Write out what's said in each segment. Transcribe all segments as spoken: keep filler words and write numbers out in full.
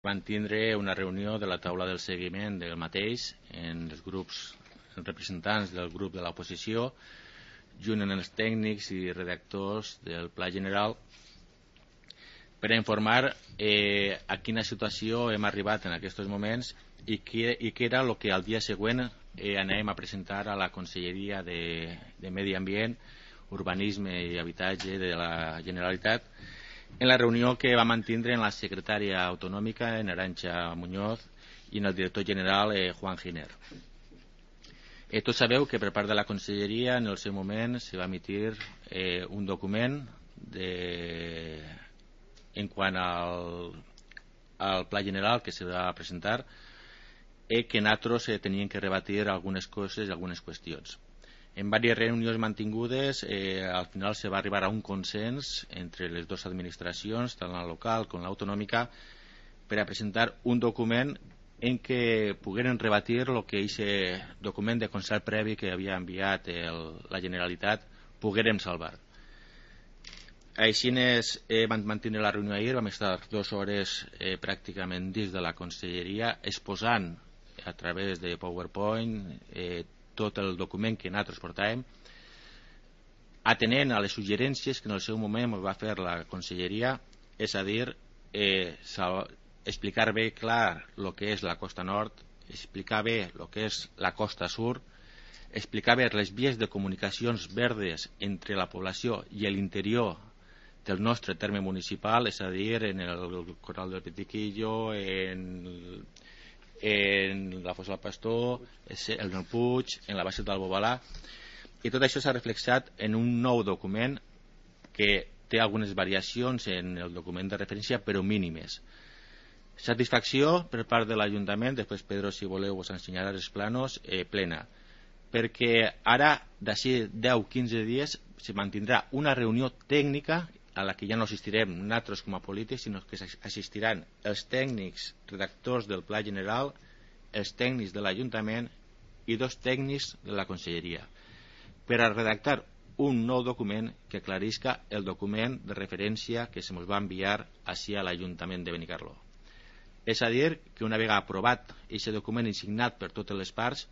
Van tindre una reunió de la taula del seguiment del mateix en els grups, els representants del grup de l'oposició, junt amb els tècnics i redactors del Pla General, per a informar eh, a quina situació hem arribat en aquests moments i què, i què era el que al dia següent eh, anem a presentar a la Conselleria de, de Medi Ambient, Urbanisme i Habitatge de la Generalitat, en la reunió que va mantindre en la secretària autonòmica, en Arantxa Muñoz, i en el director general, eh, Juan Giner. Eh, tots sabeu que per part de la Conselleria, en el seu moment, se va emitir eh, un document de, en quant al, al Pla General que se va presentar, eh, que nosaltres eh, tenien que rebatir algunes coses i algunes qüestions. En diverses reunions mantingudes, eh, al final se va arribar a un consens entre les dues administracions, tant la local com l'autonòmica, per a presentar un document en què pogueren rebatir el que aquest document de concert previ que havia enviat el, la Generalitat poguérem salvar. Així eh, vam mantenir la reunió ahir, vam estar dues hores eh, pràcticament dins de la Conselleria exposant a través de PowerPoint eh, tot el document que nosaltres portàvem, atenent a les suggerències que en el seu moment va fer la Conselleria, és a dir, eh, explicar bé clar el que és la costa nord, explicar bé el que és la costa sud, explicar bé les vies de comunicacions verdes entre la població i l'interior del nostre terme municipal, és a dir, en el Corral del Petiquillo, en en la Fossa del Pastor, en el Puig, en la base del Bobalà, i tot això s'ha reflexat en un nou document que té algunes variacions en el document de referència, però mínimes. Satisfacció per part de l'Ajuntament, després Pedro, si voleu, us ensenyarà els planos, eh, plena, perquè ara, d'ací deu a quinze dies, se mantindrà una reunió tècnica a la que ja no assistirem nosaltres com a polítics, sinó que assistiran els tècnics redactors del Pla General, els tècnics de l'Ajuntament i dos tècnics de la Conselleria, per a redactar un nou document que aclarisca el document de referència que se ens va enviar així a l'Ajuntament de Benicarló. És a dir, que una vegada aprovat aquest document i signat per totes les parts,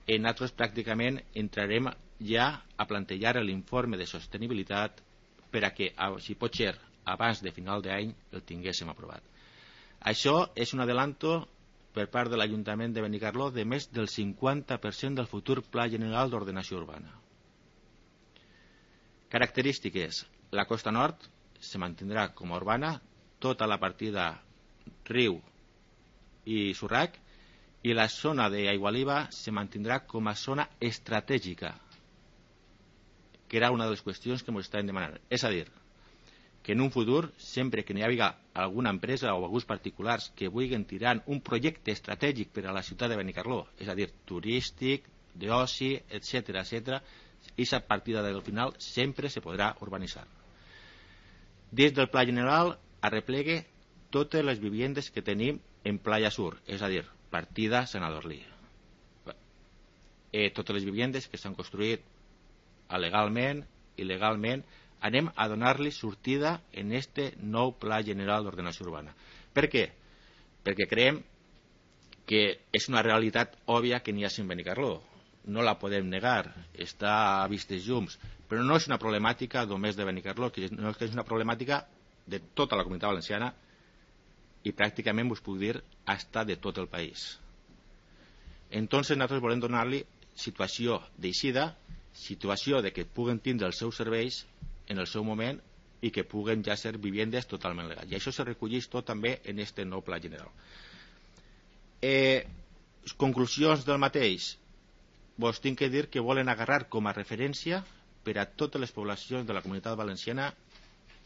nosaltres pràcticament entrarem ja a plantejar l'informe de sostenibilitat per a que, si pot ser, abans de final d'any el tinguéssim aprovat. Això és un adelanto per part de l'Ajuntament de Benicarló de més del cinquanta per cent del futur Pla General d'Ordenació Urbana. Característiques. La costa nord se mantindrà com a urbana, tota la partida riu i Surrac, i la zona d'Aigualiva se mantindrà com a zona estratègica, que era una de les qüestions que ens estaven demanant. És a dir, que en un futur, sempre que n'hi hagi alguna empresa o alguns particulars que vulguin tirar un projecte estratègic per a la ciutat de Benicarló, és a dir, turístic, d'oci, etcètera, etcètera, aquesta partida del final sempre se podrà urbanitzar. Des del Pla General arreplegue totes les viviendes que tenim en Playa Sur, és a dir, partida Sant Adorlí. Eh, totes les viviendes que s'han construït legalment i legalment, anem a donar-li sortida en este nou Pla General d'Ordenació Urbana. Per què? Perquè creiem que és una realitat òbvia que n'hi ha en Benicarló. No la podem negar, està a vistes llums, però no és una problemàtica només de Benicarló, sinó que és una problemàtica de tota la Comunitat Valenciana i pràcticament us puc dir hasta de tot el país. Entonces nosaltres volem donar-li situació d'eixida, situació de que puguen tindre els seus serveis en el seu moment i que puguen ja ser viviendes totalment legals. I això se recolleix tot també en aquest nou Pla General. Eh, conclusions del mateix. Vos tinc que dir que volen agarrar com a referència per a totes les poblacions de la Comunitat Valenciana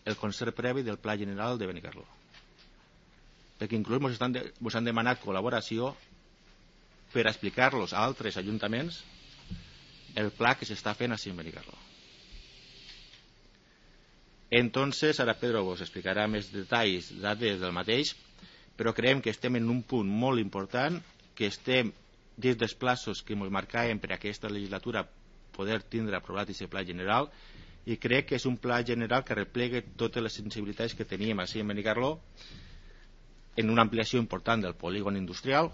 el concert previ del Pla General de Benicarló. Perquè inclús vos de, han demanat col·laboració per explicar-los a altres ajuntaments el pla que s'està fent així en Benicarló. Entonces, ara Pedro vos explicarà més detalls, dades del mateix, però creiem que estem en un punt molt important, que estem dins dels plaços que ens marcàvem per a aquesta legislatura poder tindre aprovat aquest pla general, i crec que és un pla general que replega totes les sensibilitats que teníem així en Benicarló, en una ampliació important del polígon industrial,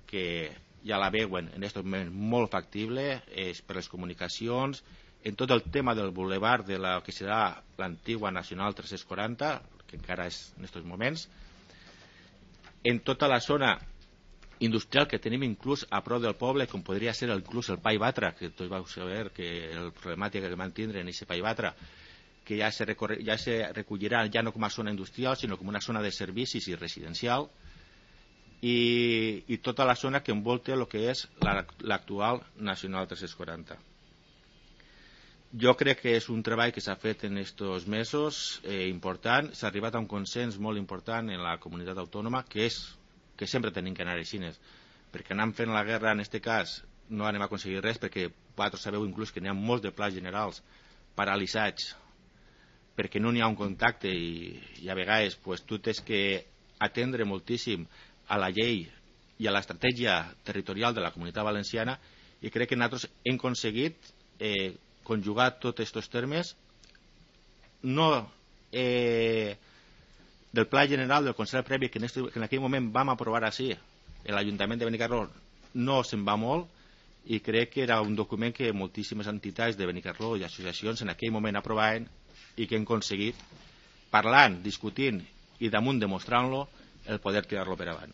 que ja la veuen en aquest moment molt factible, és per les comunicacions, en tot el tema del bulevard de la que serà l'antigua Nacional tres-cents quaranta, que encara és en aquests moments, en tota la zona industrial que tenim inclús a prop del poble, com podria ser inclús el Pai Batra, que tots vau saber que el problemàtica que van tindre en aquest Pai Batra, que ja se, ja se recollirà ja no com a zona industrial, sinó com una zona de servicis i residencial, i, i tota la zona que envolta el que és l'actual Nacional tres-cents quaranta. Jo crec que és un treball que s'ha fet en aquests mesos eh, important, s'ha arribat a un consens molt important en la comunitat autònoma, que és que sempre tenim que anar així, perquè anant fent la guerra en aquest cas no anem a aconseguir res, perquè vosaltres sabeu inclús que n'hi ha molts de plans generals paralitzats perquè no n'hi ha un contacte i, i a vegades pues, tu tens que atendre moltíssim a la llei i a l'estratègia territorial de la Comunitat Valenciana, i crec que nosaltres hem aconseguit eh, conjugar tots aquests termes, no eh, del Pla General del Consell Previ que en, este, que en aquell moment vam aprovar així, l'Ajuntament de Benicarló no se'n va molt, i crec que era un document que moltíssimes entitats de Benicarló i associacions en aquell moment aprovaven i que hem aconseguit, parlant, discutint i damunt demostrant-lo, el poder tirar-lo per avant.